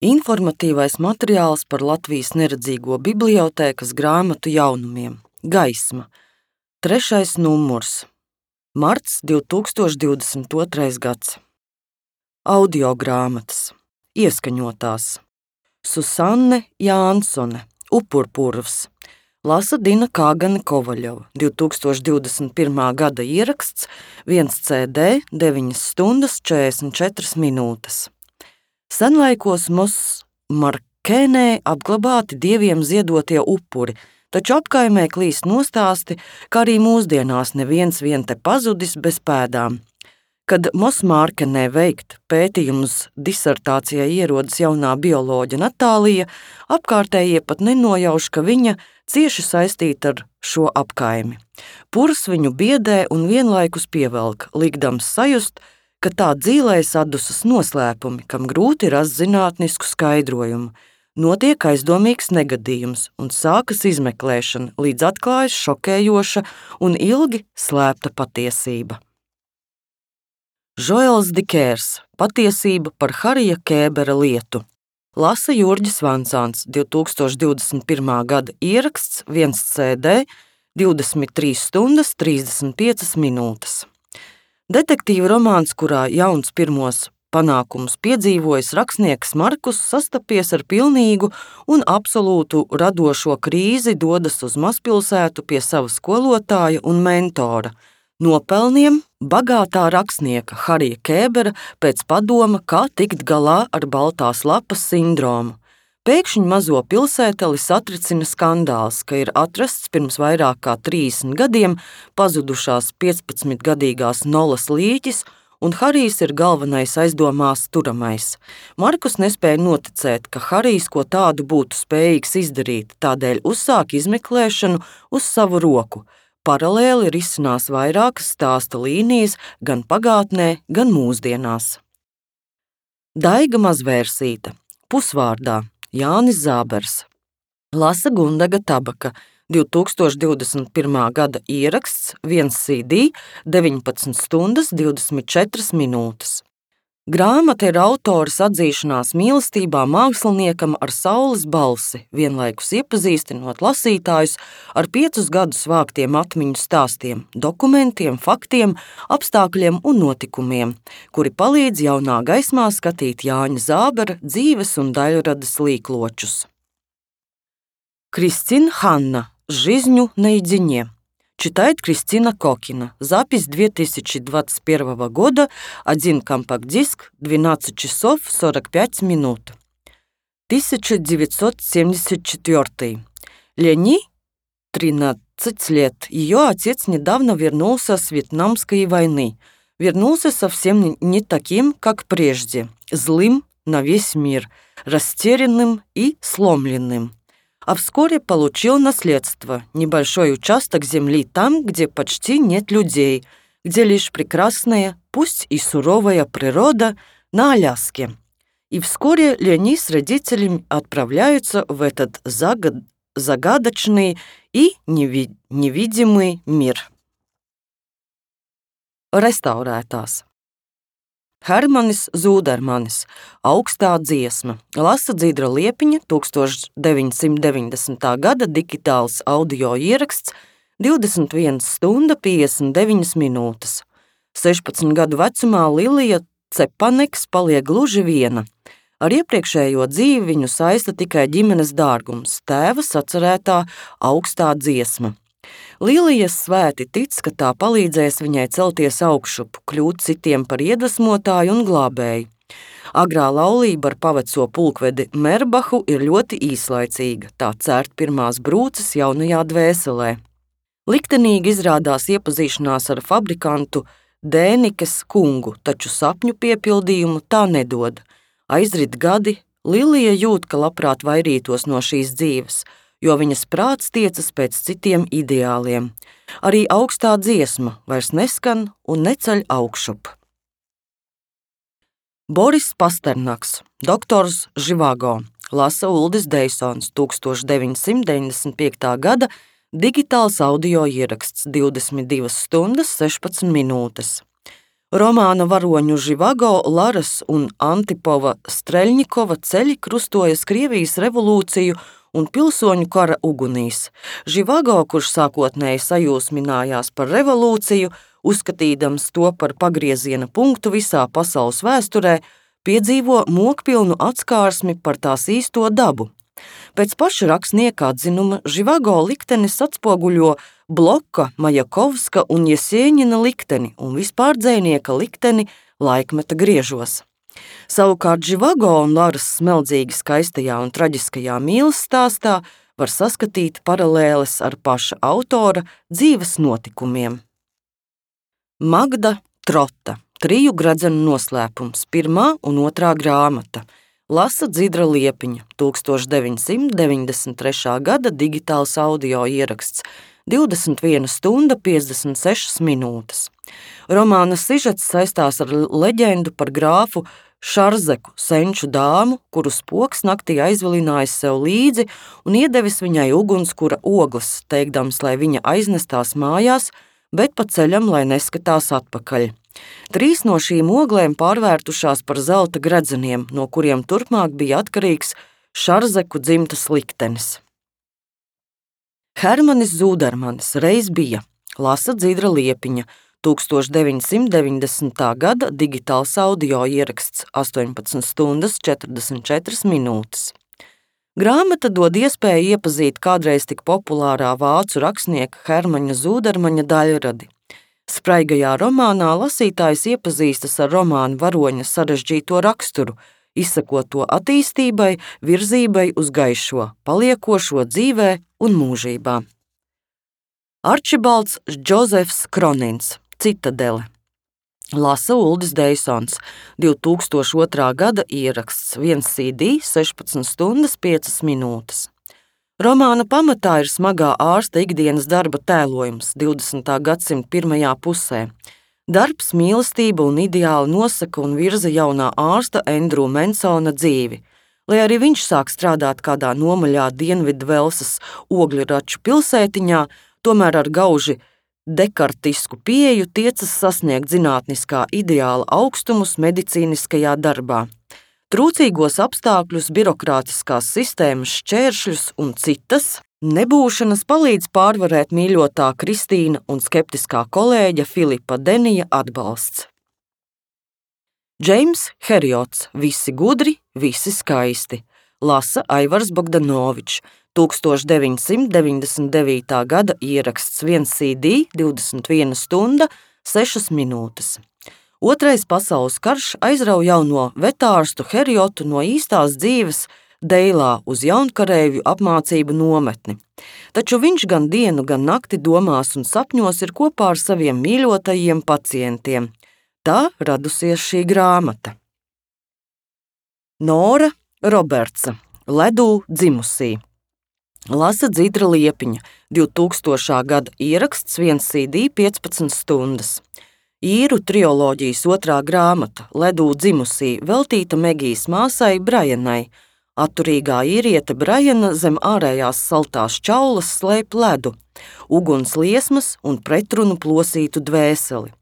Informatīvais materiāls par Latvijas neredzīgo bibliotēkas grāmatu jaunumiem. Gaisma. 3. numurs. Marts 2022. gads. Audio grāmatas. Ieskaņotās. Susanne Jānsone. Upurpurvs. Lasa Dina Kāgane Kovaļova. 2021. gada ieraksts 1 CD 9 stundas 44 minūtes. Senlaikos Markēnē apglabāti dieviem ziedotie upuri, taču apkaimē klīst nostāsti, ka arī mūsdienās neviens vien te pazudis bez pēdām. Kad Markēnē veikt pētījumus disertācijai ierodas jaunā bioloģe Natālija, apkārtējie pat nenojauš, ka viņa cieši saistīta ar šo apkaimi. Purs viņu biedē un vienlaikus pievelk, likdams sajust, ka tā dzīlēs atdusas noslēpumi, kam grūti rast zinātnisku skaidrojumu. Notiek aizdomīgs negadījums un sākas izmeklēšana, līdz atklājas šokējoša un ilgi slēpta patiesība. Žoels Dikērs. Patiesība par Harija Kēbera lietu. Lasa Jurģis Vansāns. 2021. gada ieraksts 1 CD 23 stundas 35 minūtes. Detektīva romāns, kurā jauns pirmos panākumus piedzīvojis rakstnieks Markus, sastapies ar pilnīgu un absolūtu radošo krīzi, dodas uz mazpilsētu pie sava skolotāja un mentora, nopelniem bagātā rakstnieka Harija Kēbera pēc padoma, kā tikt galā ar baltās lapas sindromu. Pēkšņi mazo pilsēteli satricina skandāls, ka ir atrasts pirms vairāk kā 30 gadiem pazudušās 15-gadīgās Nolas līķis, un Harijs ir galvenais aizdomās turamais. Markus nespēja noticēt, ka Harijs ko tādu būtu spējīgs izdarīt, tādēļ uzsāk izmeklēšanu uz savu roku. Paralēli risinās vairākas stāsta līnijas gan pagātnē, gan mūsdienās. Daiga Mazvērsīte. Pusvārdā. Jānis Zābers. Lasa Gundaga Tabaka. 2021. gada ieraksts 1 CD 19 stundas 24 minūtes. Grāmata ir autores atzīšanās mīlestībā māksliniekam ar saules balsi, vienlaikus iepazīstinot lasītājus ar 5 gadus vāktiem atmiņu stāstiem, dokumentiem, faktiem, apstākļiem un notikumiem, kuri palīdz jaunā gaismā skatīt Jāņa Zābera dzīves un daļradas līkločus. Кристин Ханна. Жизнью наедине. Читает Кристина Кокина. Запись 2021 года. 1 компакт-диск. 12 часов 45 минут. 1974. Лени, 13 лет. Ее отец недавно вернулся с Вьетнамской войны. Вернулся совсем не таким, как прежде. Злым на весь мир. Растерянным и сломленным. А вскоре получил наследство, небольшой участок земли там, где почти нет людей, где лишь прекрасная, пусть и суровая природа на Аляске. И вскоре Лени с родителями отправляются в этот загадочный и невидимый мир. Restaurētās. Hermanis Zūdermanis. Augstā dziesma. Lasa Dzidra Liepiņa. 1990. gada digitāls audio ieraksts 21 stunda 59 minūtes. 16 gadu vecumā Lilija Cepaneks paliek gluži viena. Ar iepriekšējo dzīvi viņu saista tikai ģimenes dārgums, tēva sacerētā augstā dziesma. Lilijas svēti tic, ka tā palīdzēs viņai celties augšup, kļūt citiem par iedvesmotāju un glābēju. Agrā laulība ar paveco pulkvedi Merbahu ir ļoti īslaicīga, tā cērt pirmās brūces jaunajā dvēselē. Liktenīgi izrādās iepazīšanās ar fabrikantu Dēnikes kungu, taču sapņu piepildījumu tā nedod. Aizrit gadi, Lilija jūt, ka labprāt vairītos no šīs dzīves, jo viņas prāts tiecas pēc citiem ideāliem. Arī augstā dziesma vairs neskan un neceļ augšup. Boris Pasternaks. Doktors Živago. Lasa Uldis Deisons. 1995. gada digitāls audio ieraksts 22 stundas 16 minūtes. Romāna varoņu Živago, Laras un Antipova Streļņikova ceļi krustojas Krievijas revolūciju un pilsoņu kara ugunīs. Živago, kurš sākotnēji sajūsminājās par revolūciju, uzskatīdams to par pagrieziena punktu visā pasaules vēsturē, piedzīvo mokpilnu atskārsmi par tās īsto dabu. Pēc paša rakstnieka atzinuma Živago liktenis atspoguļo Bloka, Majakovska un Jesieņina likteni un vispār dzejnieka likteni laikmeta griežos. Savukārt Živago un Laras smeldzīgi skaistajā un traģiskajā mīles stāstā var saskatīt paralēles ar paša autora dzīves notikumiem. Magda Trota, 3 gradzenu noslēpums, 1. un 2. grāmata. Lasa Dzidra Liepiņa, 1993. gada digitāls audio ieraksts, 21 stunda 56 minūtes. Romāna sižets saistās ar leģendu par grāfu Šarzeku, senču dāmu, kuru spoks naktī aizvilinājis sev līdzi un iedevis viņai ugunskura ogles, teikdams, lai viņa aiznestās mājās, bet pa ceļam, lai neskatās atpakaļ. 3 no šīm oglēm pārvērtušās par zelta gredzeniem, no kuriem turpmāk bija atkarīgs Šarzeku dzimtas liktenis. Hermanis Zūdermanis reiz bija. Lasa Dzidra Liepiņa, 1990. gada digitāls audio ieraksts, 18 stundas 44 minūtes. Grāmata dod iespēju iepazīt kādreiz tik populārā vācu rakstnieka Hermaņa Zūdermaņa daļradi. Spraigajā romānā lasītājs iepazīstas ar romāna varoņa sarežģīto raksturu, izsakot to attīstībai, virzībai uz gaišo, paliekošo dzīvē un mūžībā. Arčibalds Džozefs Kronins, Citadele. Lasa Uldis Deisons, 2002. gada ieraksts, 1 CD, 16 stundas 5 minūtes. Romāna pamatā ir smagā ārsta ikdienas darba tēlojums 20. gadsimta pirmajā pusē. Darbs, mīlestība un ideāli nosaka un virza jaunā ārsta Endrū Mensona dzīvi. Lai arī viņš sāk strādāt kādā nomaļā Dienvidu Velsas ogļraču pilsētiņā, tomēr ar gauži dekartisku pieeju tiecas sasniegt zinātniskā ideāla augstumus medicīniskajā darbā. Trūcīgos apstākļus, birokrātiskās sistēmas šķēršļus un citas nebūšanas palīdz pārvarēt mīļotā Kristīna un skeptiskā kolēģa Filipa Denija atbalsts. Džeims Herjots, Visi gudri, visi skaisti. Lasa Aivars Bogdanovičs, 1999. gada ieraksts, 1 CD, 21 stunda, 6 minūtes. Otrais pasaules karš aizrauj jauno vetārstu Herjotu no īstās dzīves Deilā uz jaunkarēvju apmācību nometni. Taču viņš gan dienu, gan nakti domās un sapņos ir kopā ar saviem mīļotajiem pacientiem. Tā radusies šī grāmata. Nora Robertsa, Ledū dzimusī. Lasa Dzidra Liepiņa, 2000. gada ieraksts, 1 CD, 15 stundas. Īru trioloģijas 2. grāmata, Ledū dzimusī, veltīta Megijas māsai Brajanai. Atturīgā īriete Brajana zem ārējās saltās čaulas slēp ledu, uguns liesmas un pretrunu plosītu dvēseli.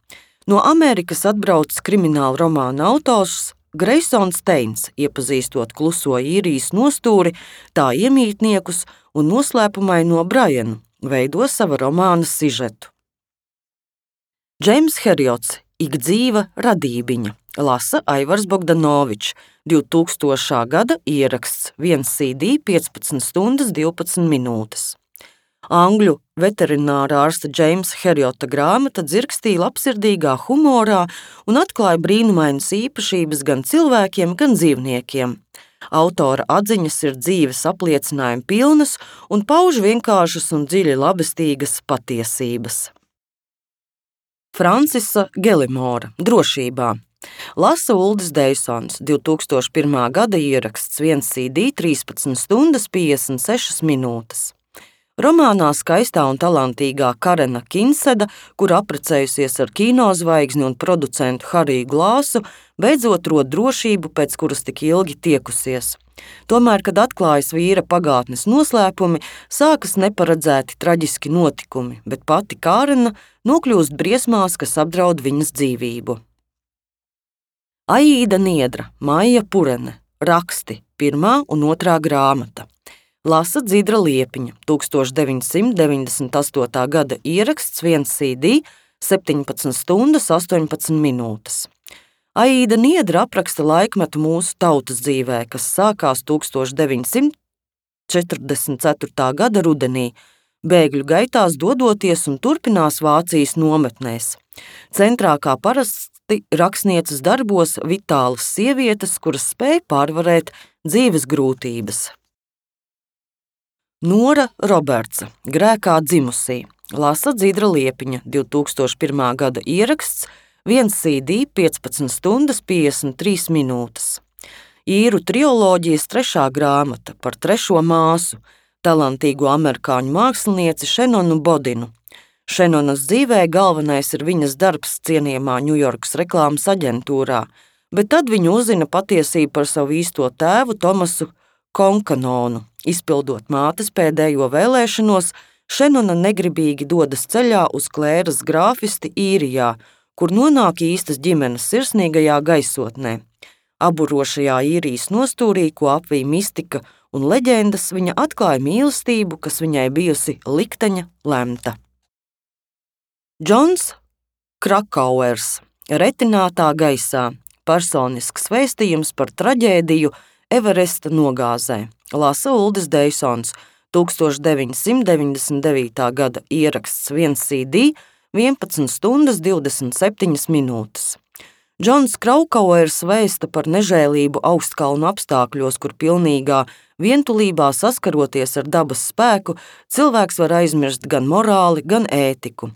No Amerikas atbraucis krimināla romāna autors Greisons Steins, iepazīstot kluso īrijas nostūri, tā iemītniekus un noslēpumaino Brajanu, veido sava romāna sižetu. Džeims Herjots, Ikdzīva radībiņa. Lasa Aivars Bogdanovičs, 2000. gada ieraksts, 1 CD, 15 stundas 12 minūtes. Angļu veterinārā ārsta Džeimsa Herjota grāmata dzirkstīja labsirdīgā humorā un atklāja brīnumainas īpašības gan cilvēkiem, gan dzīvniekiem. Autora atziņas ir dzīves apliecinājumi pilnas un pauž vienkāršas un dziļi labestīgas patiesības. Francisa Gelimora, Drošībā. Lasa Uldis Deisons, 2001. gada ieraksts, 1 CD, 13 stundas 56 minūtes. Romānā skaistā un talantīgā Karena Kinseda, kur apprecējusies ar kinozvaigzni un producentu Hariju Glāsu, beidzot rod drošību, pēc kuras tik ilgi tiekusies. Tomēr, kad atklājas vīra pagātnes noslēpumi, sākas neparedzēti traģiski notikumi, bet pati Karena nokļūst briesmās, kas apdraud viņas dzīvību. Aīda Niedra, Maija Purene, raksti 1. un 2. grāmata. Lasa Dzidra Liepiņa, 1998. gada ieraksts, 1 CD, 17 stundas, 18 minūtes. Aīda Niedra apraksta laikmetu mūsu tautas dzīvē, kas sākās 1944. gada rudenī, bēgļu gaitās dodoties un turpinās Vācijas nometnēs. Centrā kā parasti rakstnieces darbos vitālas sievietes, kuras spēj pārvarēt dzīves grūtības. Nora Robertsa, Grēkā dzimusī, lasa Dzidra Liepiņa, 2001. gada ieraksts, 1 CD, 15 stundas, 53 minūtes. Īru triloģijas 3. grāmata par 3. māsu, talantīgo amerikāņu mākslinieci Šenonu Bodinu. Šenonas dzīvē galvenais ir viņas darbs cienījamā Ņujorkas reklāmas aģentūrā, bet tad viņa uzzina patiesību par savu īsto tēvu Tomasu Konkanonu. Izpildot mātes pēdējo vēlēšanos, Šenona negribīgi dodas ceļā uz Klēras grāfisti Īrijā, kur nonāk īstas ģimenes sirsnīgajā gaisotnē. Aburošajā Īrijas nostūrī, ko apvij mistika un leģendas, viņa atklāja mīlestību, kas viņai bijusi likteņa lemta. Džons Krakauers, Retinātā gaisā, personisks vēstījums par traģēdiju Everesta nogāzē, lasa Uldis Deisons, 1999. gada ieraksts, 1 CD, 11 stundas, 27 minūtes. Džons Krakauers vēsta par nežēlību augstkalnu apstākļos, kur pilnīgā vientulībā saskaroties ar dabas spēku, cilvēks var aizmirst gan morāli, gan ētiku.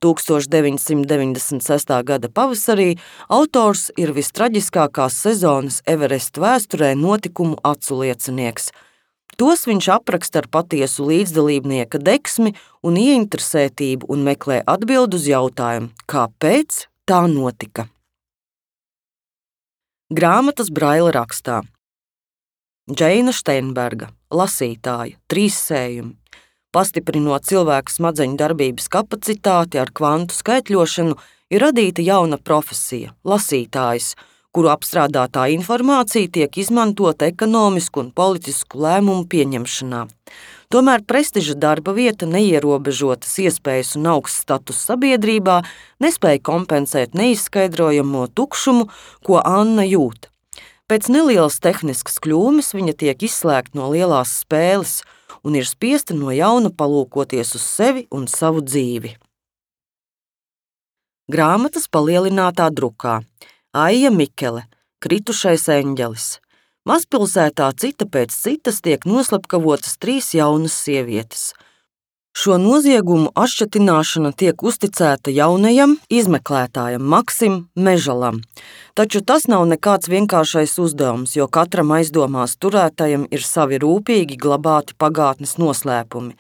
1996. gada pavasarī autors ir vistraģiskākās sezonas Everesta vēsturē notikumu aculiecinieks. Tos viņš apraksta ar patiesu līdzdalībnieka deksmi un ieinteresētību un meklē atbildi uz jautājumu, kāpēc tā notika. Grāmatas Braila rakstā. Džeina Steinberga, lasītāja, 3 sējumi. Pastiprinot cilvēku smadzeņu darbības kapacitāti ar kvantu skaitļošanu, ir radīta jauna profesija – lasītājs, kuru apstrādātā informācija tiek izmantota ekonomisku un politisku lēmumu pieņemšanā. Tomēr prestiža darba vieta, neierobežotas iespējas un augsts status sabiedrībā nespēja kompensēt neizskaidrojamo tukšumu, ko Anna jūt. Pēc nelielas tehniskas kļūmes viņa tiek izslēgta no lielās spēles un ir spiesta no jauna palūkoties uz sevi un savu dzīvi. Grāmatas palielinātā drukā. Aija Mikele, Kritušais eņģelis. Mazpilsētā cita pēc citas tiek noslepkavotas 3 jaunas sievietes. Šo noziegumu atšķetināšana tiek uzticēta jaunajam izmeklētājam Maksim Mežalam. Taču tas nav nekāds vienkāršais uzdevums, jo katram aizdomās turētajam ir savi rūpīgi glabāti pagātnes noslēpumi.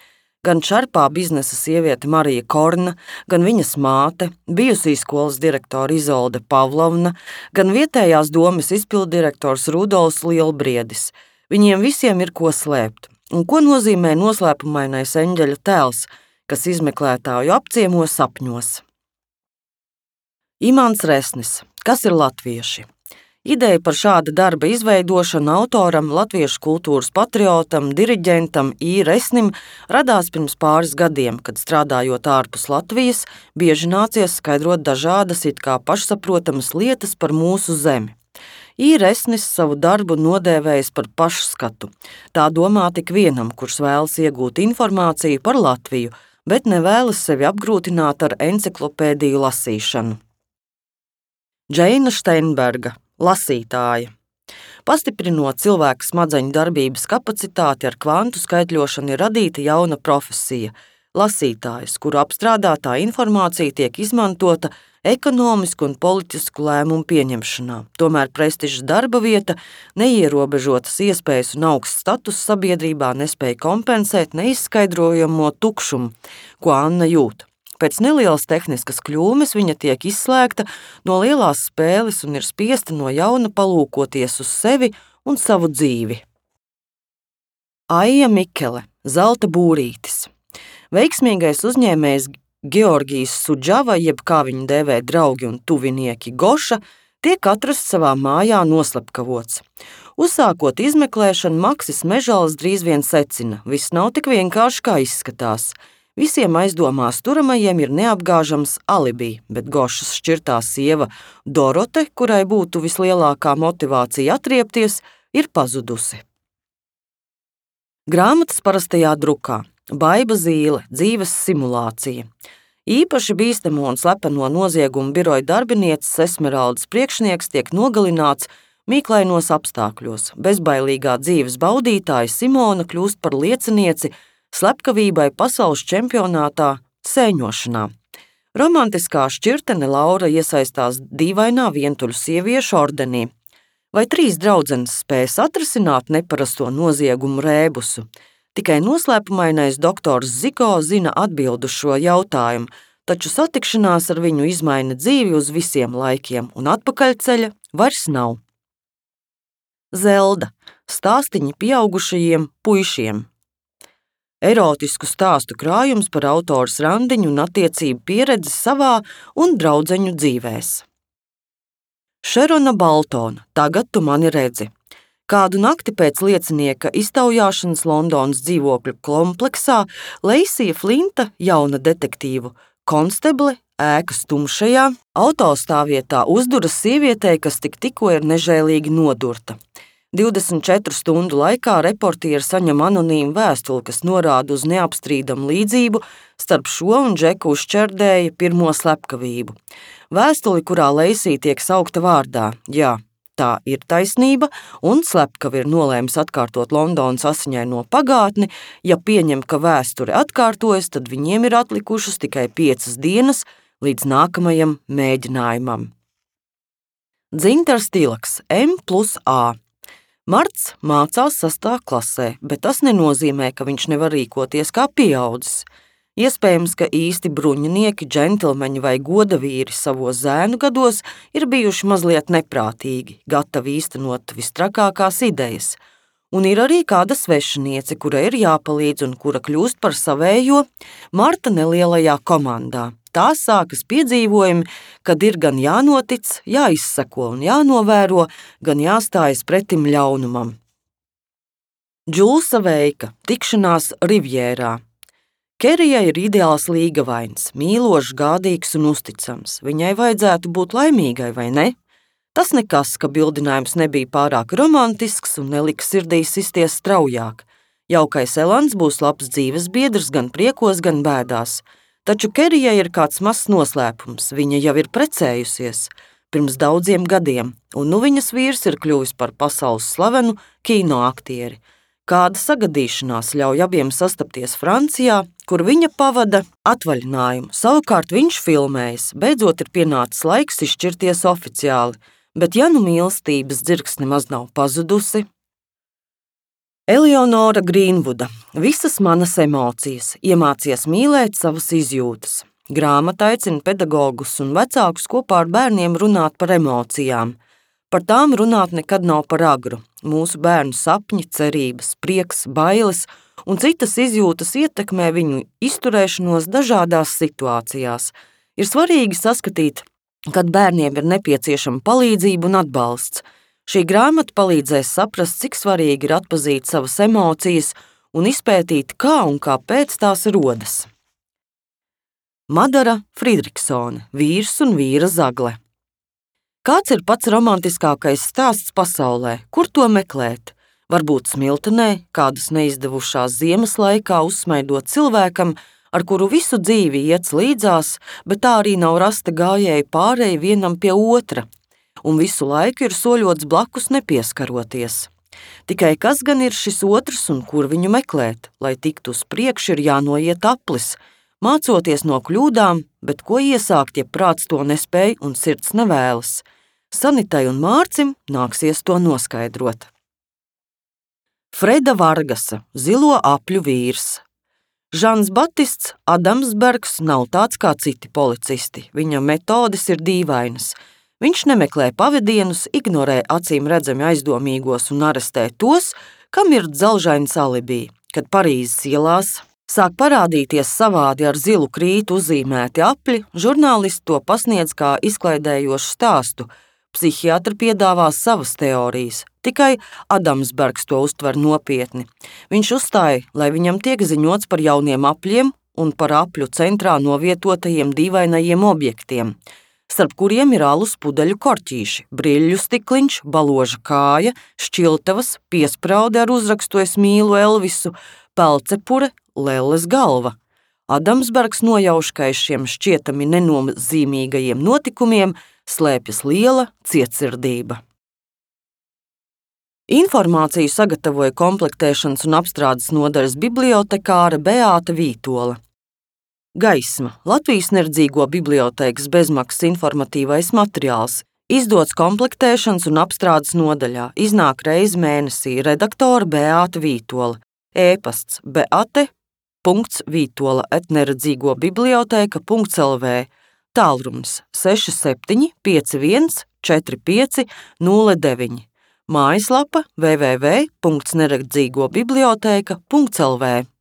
Gan šarpā biznesa sieviete Marija Korna, gan viņas māte, bijusī skolas direktora Izolde Pavlovna, gan vietējās domes izpilddirektors Rudolfs Lielbriedis. Viņiem visiem ir ko slēpt. Un ko nozīmē noslēpumainais eņģeļa tēls, kas izmeklētāju apciemo sapņos? Imants Resnis, kas ir latvieši? Ideja par šāda darba izveidošanu autoram, latviešu kultūras patriotam, diriģentam I. Resnim radās pirms pāris gadiem, kad strādājot ārpus Latvijas, bieži nācies skaidrot dažādas it kā pašsaprotamas lietas par mūsu zemi. I. Resnis savu darbu nodēvējis par pašskatu. Tā domā tik vienam, kurš vēlas iegūt informāciju par Latviju, bet nevēlas sevi apgrūtināt ar enciklopēdiju lasīšanu. Džeina Steinberga, lasītāja. Pastiprinot cilvēka smadzeņu darbības kapacitāti ar kvantu skaitļošanu, ir radīta jauna profesija – lasītājs, kuru apstrādātā informācija tiek izmantota ekonomisku un politisku lēmumu pieņemšanā. Tomēr prestiža darba vieta, neierobežotas iespējas un augsts status sabiedrībā nespēja kompensēt neizskaidrojamo tukšumu, ko Anna jūt. Pēc nelielas tehniskas kļūmes viņa tiek izslēgta no lielās spēles un ir spiesta no jauna palūkoties uz sevi un savu dzīvi. Aija Mikele, Zelta būrītis. Veiksmīgais uzņēmējs Georgijs Sudžava, jeb kā viņu dēvē draugi un tuvinieki Goša, tiek atrasts savā mājā noslepkavots. Uzsākot izmeklēšanu, Maksis Mežals drīz vien secina: viss nav tik vienkārši, kā izskatās. Visiem aizdomās turamajiem ir neapgāžams alibi, bet Gošas šķirtā sieva Dorote, kurai būtu vislielākā motivācija atriepties, ir pazudusi. Grāmatas parastajā drukā Baiba Zīle, dzīves simulācija. Īpaši bīstamo un slepeno noziegumu biroja darbinieces Esmeraldas priekšnieks tiek nogalināts mīklainos apstākļos. Bezbailīgā dzīves baudītāja Simona kļūst par liecinieci slepkavībai pasaules čempionātā sēņošanā. Romantiskā šķirtene Laura iesaistās dīvainā vientuļu sieviešu ordenī. Vai 3 draudzenes spēs atrisināt neparasto noziegumu rēbusu? Tikai noslēpumainais doktors Zigo zina atbildu šo jautājumu, taču satikšanās ar viņu izmaina dzīvi uz visiem laikiem, un atpakaļceļa vairs nav. Zelda – stāstiņi pieaugušajiem puišiem. Erotisku stāstu krājums par autoras randiņu un attiecību pieredzi savā un draudzeņu dzīvēs. Šerona Baltona, tagad tu mani redzi. Kādu nakti pēc liecinieka iztaujāšanas Londonas dzīvokļu kompleksā Leisija Flinta, jauna detektīvu konsteble, ēkas tumšajā autostāvvietā uzduras sievietei, kas tikko ir nežēlīgi nodurta. 24 stundu laikā reportieri saņem anonīmu vēstuli, kas norāda uz neapstrīdamu līdzību starp šo un Džeku Uzčerdēja pirmo slepkavību. Vēstuli, kurā Leisija tiek saukta vārdā. Jā, tā ir taisnība, un slepkavi ir nolēmis atkārtot Londonas asiņaino pagātni. Ja pieņem, ka vēsture atkārtojas, tad viņiem ir atlikušas tikai 5 dienas līdz nākamajam mēģinājumam. Dzintars Tilaks, M+A. Marts mācās 6. klasē, bet tas nenozīmē, ka viņš nevar rīkoties kā pieaudzis. Iespējams, ka īsti bruņinieki, džentlmeņi vai godavīri savos zēnu gados ir bijuši mazliet neprātīgi, gatavi īstenot vistrakākās idejas. Un ir arī kāda svešiniece, kura ir jāpalīdz un kura kļūst par savējo Marta nelielajā komandā. Tā sākas piedzīvojumi, kad ir gan jānotic, jāizseko un jānovēro, gan jāstājas pretim ļaunumam. Džulsa Veika, tikšanās Rivjērā. Kerijai ir ideāls līgavains, mīlošs, gādīgs un uzticams. Viņai vajadzētu būt laimīgai, vai ne? Tas nekas, ka bildinājums nebija pārāk romantisks un nelika sirdī sisties straujāk. Jaukais Elans būs labs dzīves biedrs gan priekos, gan bēdās. Taču Kerijai ir kāds mazs noslēpums. Viņa jau ir precējusies pirms daudziem gadiem, un nu viņas vīrs ir kļuvis par pasaules slavenu kinoaktieri. Kāda sagadīšanās ļauj abiem sastapties Francijā, kur viņa pavada atvaļinājumu. Savukārt viņš filmējas, beidzot ir pienācis laiks izšķirties oficiāli, bet ja nu mīlestības dzirksne nemaz nav pazudusi. Eleonora Grīnvuda, visas manas emocijas, iemācies mīlēt savas izjūtas. Grāmata aicina pedagogus un vecākus kopā ar bērniem runāt par emocijām. Par tām runāt nekad nav par agru. Mūsu bērnu sapņi, cerības, prieks, bailes un citas izjūtas ietekmē viņu izturēšanos dažādās situācijās. Ir svarīgi saskatīt, kad bērniem ir nepieciešama palīdzība un atbalsts. Šī grāmata palīdzēs saprast, cik svarīgi ir atpazīt savas emocijas un izpētīt, kā un kāpēc tās rodas. Madara Fridriksone, vīrs un vīra zagle. Kāds ir pats romantiskākais stāsts pasaulē? Kur to meklēt? Varbūt smiltenē, kādas neizdevušās ziemas laikā uzsmaidot cilvēkam, ar kuru visu dzīvi iet līdzās, bet tā arī nav rasta gājēja pārēja vienam pie otra. Un visu laiku ir soļots blakus nepieskaroties. Tikai kas gan ir šis otrs un kur viņu meklēt? Lai tiktu uz priekšu, ir jānoiet aplis, mācoties no kļūdām, bet ko iesākt, ja prāts to nespēj un sirds nevēlas? Sanitai un Mārcim nāksies to noskaidrot. Freda Vargasa, zilo apļu vīrs. Žans Batists Adamsbergs nav tāds kā citi policisti. Viņa metodes ir dīvainas. Viņš nemeklē pavadienus, ignorē acīm redzami aizdomīgos un arestē tos, kam ir dzelžains alibi. Kad Parīzes ielās sāk parādīties savādi ar zilu krītu uzzīmēti apļi, žurnālisti to pasniedz kā izklaidējošu stāstu Psihiatri piedāvā savas teorijas, tikai Adamsbergs to uztver nopietni. Viņš uzstāja, lai viņam tiek ziņots par jauniem apļiem un par apļu centrā novietotajiem dīvainajiem objektiem, starp kuriem ir alus pudeļu korķīši, brilleļu stikliņš, baloža kāja, šķiltavas, piespraude ar uzrakstu "Es mīlu Elvisu", pelcepure, lelles galva. Adamsbergs nojauš, ka aiz šiem šķietami nenozīmīgajiem notikumiem slēpjas liela cietsirdība. Informāciju sagatavoja komplektēšanas un apstrādes nodaļas bibliotekāre Beāta Vītola. Gaisma – Latvijas Neredzīgo bibliotēkas bezmaksas informatīvais materiāls, izdots komplektēšanas un apstrādes nodaļā, iznāk reizi mēnesī, redaktore Beāta Vītola, e-pasts beate.vītola@neredzīgobibliotēka.lv, tālrunis 67 51 45 09, mājaslapa www.neredzīgobibliotēka.lv.